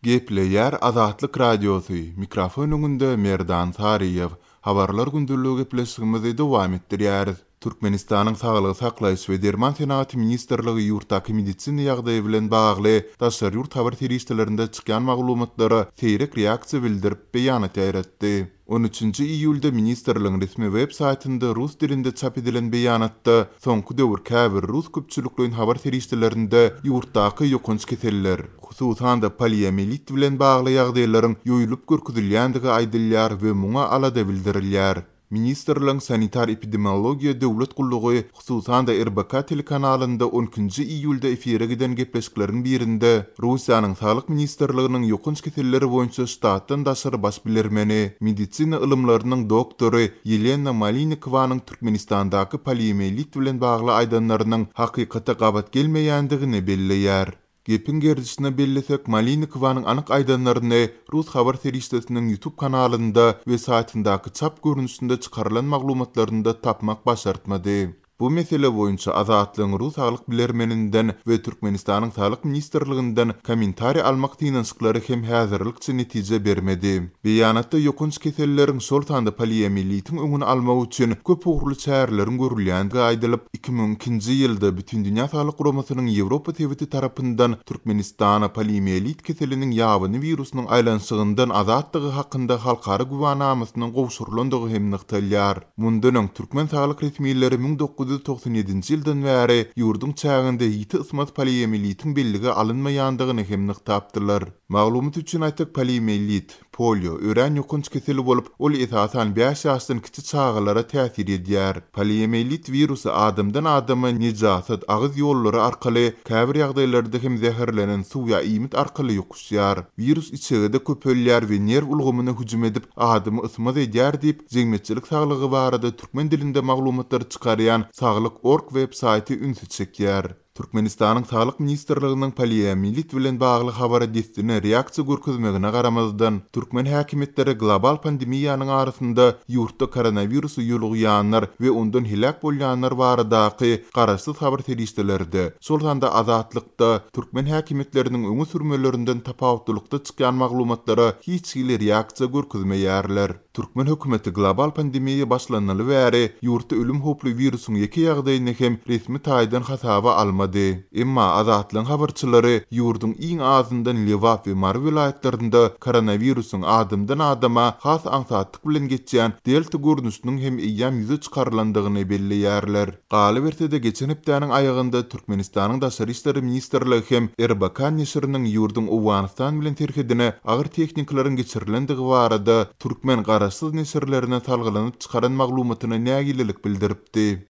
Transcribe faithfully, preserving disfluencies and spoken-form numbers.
Gepleýär Azatlyk Radiosy, mikrofon öňünde Merdan Saryýew. Habarlar gündeligi gepleşigimizi dowam etdirýäris. Türkmenistanyň Saglygy saklaýyş we derman senagaty ministrligi ýurtdaky medisina ýagdaýy bilen bagly daşary ýurt habar serişdelerinde çykýan maglumatlara seýrek reaksiýa bildirip beýanat ýaýratdy. On üçünji iýulda ministrligiň resmi web saýtynda rus dilinde çap edilen beýanatda soňky döwür käbir rus köpçülikleýin habar serişdelerinde ýurtdaky ýokanç keseller, hususan-da poliomiýelit bilen bagly ýagdaýlaryň ýoýulyp görkezilýändigi aýdylýar we muňa alada bildirilýär. Ministrligiň sanitar epidemiologiýa döwlet gullugy hususan-da R B K telekanalynda on ikinji iýulda efire giden gepleşikleriň birinde Russiýanyň Saglyk ministrliginiň ýokanç keselleri boýunça ştatdan daşary baş bilermeni, medisina ylymlarynyň doktory Ýelena Malinikowanyň Türkmenistandaky poliomiýelit bilen bagly aýdanlarynyň hakykata gabat gelmeýändigini belleýär. Gepiň gerdişine bellesek, Malinikowanyň anyk aýdanlaryny rus habar serişdesiniň YouTube kanalynda we saýtyndaky çap görnüşinde çykarylan maglumatlarynda tapmak başartmady. Bu mesele boýunça Azatlygyň rus saglyk bilermeninden we Türkmenistanyň Saglyk ministrliginden kommentariý almak synanyşyklary hem häzirlikçe netije bermedi. Beýanatda ýokanç keselleriň, şol sanda poliomiýelitiň öňüni almak üçin köp ugurly çäreleriň görülýändigi aýdylyp, iki müň ikinji ýylda Bütindünýä Saglyk Guramasynyň Ýewropa sebiti tarapyndan Türkmenistana poliomiýelit keseliniň ýabany wirusynyň aýlanyşygyndan azatdygy hakynda halkara güwänamasynyň gowşurylandygy hem nygtalýar. Mundan öň türkmen saglyk resmileri müň dokuz ýüz togsan ýedinji ýyldan bäri ýurduň çäginde ýiti ysmaz poliomiýelitiň bellige alynmaýandygyny hem nygtapdylar. Maglumat üçin aýtsak, poliomiýelit, polio örän ýokanç keseli bolup, ol esasan bäş ýaşdan kiçi çagalara täsir edýär. Poliomiýelit wirusy adamdan adama nejasat agyz ýollary arkaly, käbir ýagdaýlarda hem zäherlenen suw ýa iýmit arkaly ýokuşýar. Wirus içegede köpelýär we nerw ulgamyna hüjüm edip, adamy ysmaz edýär diýip, jemgyýetçilik saglygy barada türkmen dilinde maglumatlary çykarýan Saglyk org web saýty ünsi çekýär. Türkmenistanyň Saglyk ministrliginiň poliomiýelit bilen bagly habara dessine reaksiýa görkezmegine garamazdan, türkmen häkimiýetleri global pandemiýanyň arasynda ýurtda koronawirusy ýolugýanlar we ondan heläk bolýanlar baradaky garaşsyz habar serişdelerde, şol sanda Azatlykda türkmen häkimiýetleriniň öňe sürmelerinden tapawutlylykda çykýan maglumatlara hiç hili reaksiýa görkezmeýärler. Türkmen hökümeti global pandemiýa başlanaly bäri ýurtda ölüm howply wirusyň ýeke ýagdaýyny hem resmi taýdan hasaba almady. Emma Azatlygyň habarçylary ýurduň iň azyndan Lebap we Mary welaýatlarynda koronawirusyň adamdan adama has aňsatlyk bilen geçýän delta görnüşiniň hem eýýäm ýüze çykarylandygyny belleýärler. Galyberse-de geçen hepdäniň aýagynda Türkmenistanyň Daşary işler ministrligi hem R B K neşiriniň ýurduň Owganystan bilen serhedine agyr tehnikalaryň geçirilendigi barada türkmen garaşsyz neşirlerine salgylanyp çykaran maglumatyna nägilelik bildiripdi.